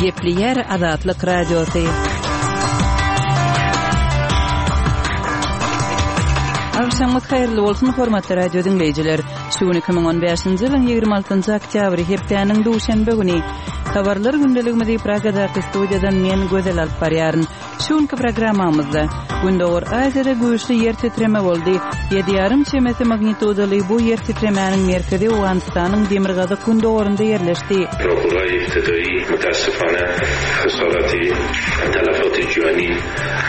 Gepleýär Azatlyk Radiosy. Agşamyňyz haýyrly bolsun, hormatly radio diňleýjiler. Şu gün 2015-nji ýylyň 26-njy oktýabry, hepdäniň duşenbe güni. Habarlar gündeligimizi Pragadaky studiýadan men Gözel alyp barýaryn. Şu günki programmamyzda, Gündogar Aziýada güýçli ýer titreme boldy. Ýedi ýarym çemesi magnitudaly bu ýer titremäniň merkezi Owganystanyň demirgazyk-gündogarynda ýerleşdi. Raporlaý ibtidaýy mutassifane hasaraty talafaty jani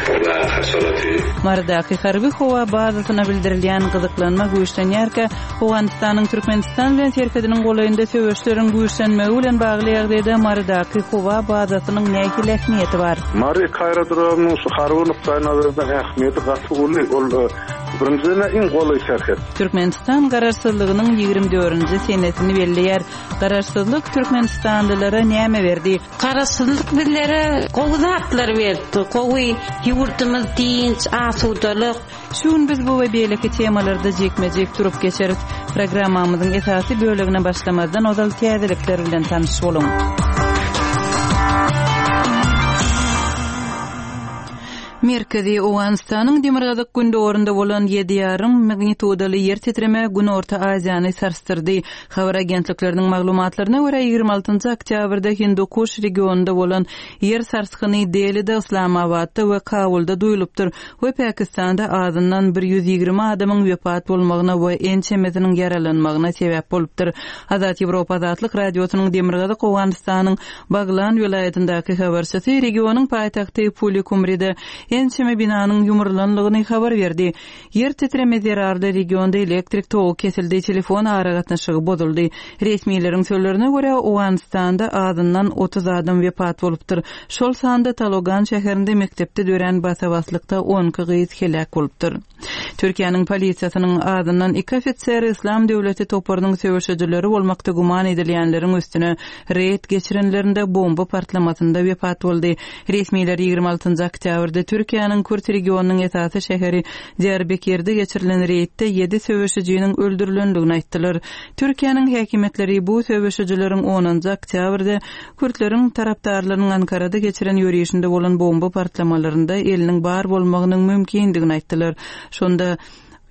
we hasaraty. Marydaky harby howa bazasyna bildirilýän gyzyklanma güýçlenýärkä, Owganystanyň Türkmenistan bilen serhediniň golaýynda söweşleriň güýçlenmegi bilen bagly ýagdaýda Marydaky howa bazasynyň nähili ähmiýeti bar? Mary aerodromynyň şu harby nukdaýnazardan ähmiýeti gaty uly. Ol birinjiden-ä iň golaý serhet. Türkmenistan Garaşsyzlygynyň 24-nji senesini belleýär. Garaşsyzlyk türkmenistanlylara näme berdi? Garaşsyzlyk bizlere gowy zatlar berdi. Gowy ýurdumyz dynç, asudalyk. Şu gün biz bu we beýleki temalarda jikme-jik durup geçeris. Programmamyzyň esasy bölegine başlamazdan ozal täzelikler bilen tanyş boluň. Merkezi Owganystanyň demirgazyk-gündogarynda bolan ýedi ýarym magnitudaly ýer titreme Günorta Aziýany sarsdyrdy. Habar agentlikleriniň maglumatlaryna görä, 26 oktýabrda Hindukuş regionynda bolan ýer sarsgyny Delide, Yslamabatda we Kabulda duýulypdyr. we Pakistanda azyndan 120 adamyň wepat bolmagyna we ençemesiniň ýaralanmagyna sebäp bolupdyr. Azat Ýewropa Azatlyk Radiosynyň Demirgazyk Owganystanyň Baglan welaýatyndaky habarçysy regionyň paýtagty Puli-Kumride ençeme binanyň ýumrulanlygyny habar berdi. Ýer titreme zerarly regionda elektrik togy kesildi, telefon aragatnaşygy bozuldy. Resmileriň sözlerine görä, Owganystanda azyndan 30 adam wepat bolupdyr. Şol sanda Talogan şäherinde mekdepde dörän basa-baslykda 12 gyz heläk bolupdyr. Türkiýäniň polisiýasynyň azyndan iki ofiseri Yslam döwleti toparynyň söweşijileri bolmakda güman edilýänleriň üstüne reýd geçirenlerinde bomba partlamasynda wepat boldy. Resmiler 26 oktýabrda Türkiýäniň kürt regionynyň esasy şäheri Diýarbekirde geçirilen reýdde ýedi söweşijiniň öldürilendigini aýtdylar. Türkiýäniň häkimiýetleri bu söweşijileriň onunjy oktýabrda kürtleriň tarapdarlarynyň Ankarada geçiren ýörişinde bolan bomba partlamalarynda eliniň bar bolmagynyň mümkindigini aýtdylar. Şonda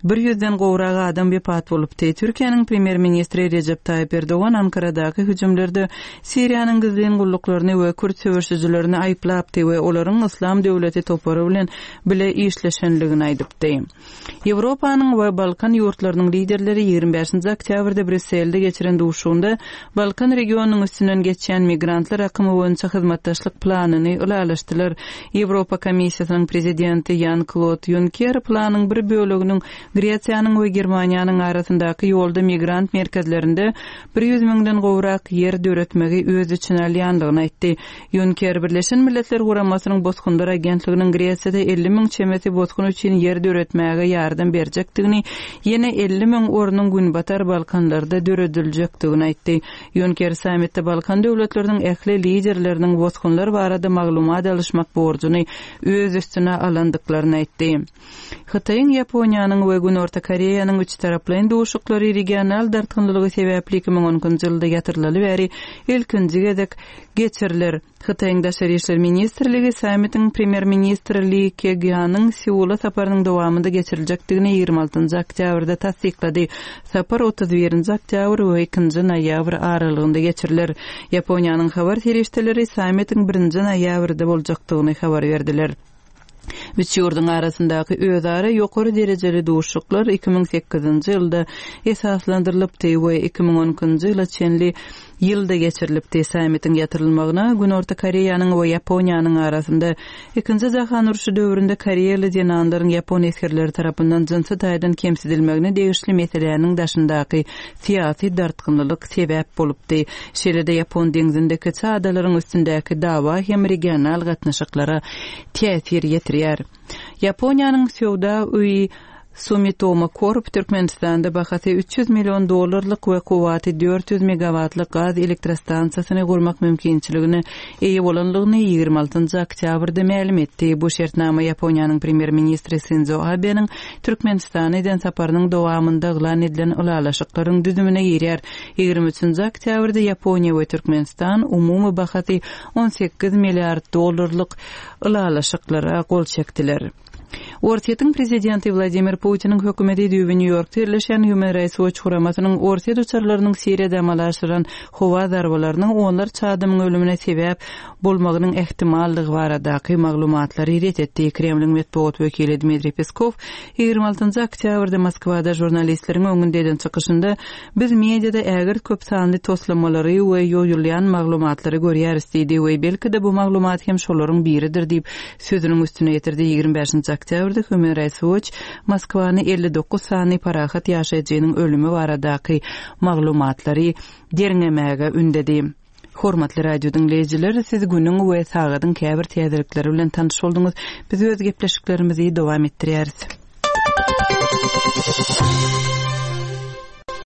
bir ýüzden gowrak adam wepat bolupdy. Türkiýäniň premýer-ministri Rejep Taýyp Erdogan Ankaradaky hüjümlerde Siriýanyň gizlin gulluklaryny we kürt söweşijilerini aýyplapdy we olaryň Yslam döwleti topary bilen bile işleşenligini aýdypdy. Ýewropanyň we Balkan ýurtlarynyň liderleri 25-nji oktýabrda Brýusselde geçiren duşuşygynda Balkan regionynyň üstünden geçýän migrantlar akymy boýunça hyzmatdaşlyk planyny ylalaşdylar. Ýewropa Komissiýasynyň prezidenti Ýan-Klod Ýunker planyň bir böleginiň Gresiýanyň we Germaniýanyň arasyndaky ýolda migrant merkezlerinde 100 müňden gowrak ýer döretmegi öz içine alýandygyny aýtdy. Ýunker Birleşen Milletler Guramasynyň Bosgunlar agentliginiň Gresiýada 50 müň çemesi bosgun üçin ýer döretmäge ýardam berjekdigini, ýene 50 müň ornuň Günbatar Balkanlarda dörediljekdigini aýtdy. Ýunker sammitde Balkan döwletleriniň ähli liderleriniň bosgunlar barada maglumat alyşmak borjuny öz üstüne alandyklaryny aýtdy. Hytaýyň, Ýaponiýanyň we Günorta Koreýanyň üçtaraplaýyn duşuşyklary regional dartgynlylygy sebäpli 2012-nji ýylda ýatyrylaly bäri ilkinji gezek geçiriler. Hytaýyň Daşary işler ministrligi sammitiň premýer-ministr Li Kegýanyň Seula saparynyň dowamynda geçiriljekdigini 26-njy oktýabrda tassyklady. Sapar 31-nji oktýabr we 2-nji noýabr aralygynda geçiriler. Ýaponiýanyň habar serişdeleri sammitiň birinji noýabrda boljakdygyny habar berdiler. Üç ýurduň arasyndaky özara ýokary derejeli duşuşyklar 2008-nji ýylda esaslandyrylypdy we 2012-nji ýyla çenli ýylda geçirilipdi. Sammitiň ýatyrylmagyna Günorta Koreýanyň we Ýaponiýanyň arasynda Ikinji jahan urşy döwründe koreýaly zenanlaryň ýapon esgerleri tarapyndan jynsy taýdan kemsidilmegine degişli meseläniň daşyndaky syýasy dartgynlylyk sebäp bolupdy. Şeýle-de Ýapon deňzinde kiçi adalaryň üstündäki dawa hem regional gatnaşyklara täsir ýetirýär. Ýaponiýanyň söwda öýi. Sumitomo Corp Türkmenistanda bahasy 300 million dollarlyk we kuwwaty 400 megawatlyk gaz elektrostansiýasyny gurmak mümkinçiligine eýe bolanlygyny 26-njy oktýabrda mälim etdi. Bu şertnama Ýaponiýanyň premýer-ministri Sindzo Abeniň Türkmenistana eden saparynyň dowamynda yglan edilen ylalaşyklaryň düzümine girýär. 23-nji oktýabrda Ýaponiýa we Türkmenistan umumy bahasy 18 milliard dollarlyk ylalaşyklara gol çekdiler. Orsýetiň prezidenti Wladimir Putiniň hökümeti düýbi Nýu-Ýorkda ýerleşýän Human Rights Watch guramasynyň orsýet uçarlarynyň Siriýada amala aşyran howa zarbalarynyň onlarça adamyň ölümine sebäp bolmagynyň ähtimallygy baradaky maglumatlary ret etdi. Kremliň metbugat wekili Dmitriý Peskow 26 oktýabrda Moskwada žurnalistleriň öňünde eden çykyşynda Biz mediada ägirt köp sanly toslamalary we ýoýulýan maglumatlary görýäris diýdi we belki-de bu maglumat hem şolaryň biridir diýip, sözüniň üstüne ýetirdi. 25 oktýabrda Human Rights Watch Moskwany 59 sany parahat ýaşaýjynyň ölümi baradaky maglumatlary derňemäge ündedi. Hormatly radio diňleýjiler, siz günüň we sagadyň käbir täzelikleri bilen tanyş bolduňyz. Biz öz gepleşiklerimizi dowam etdirýäris.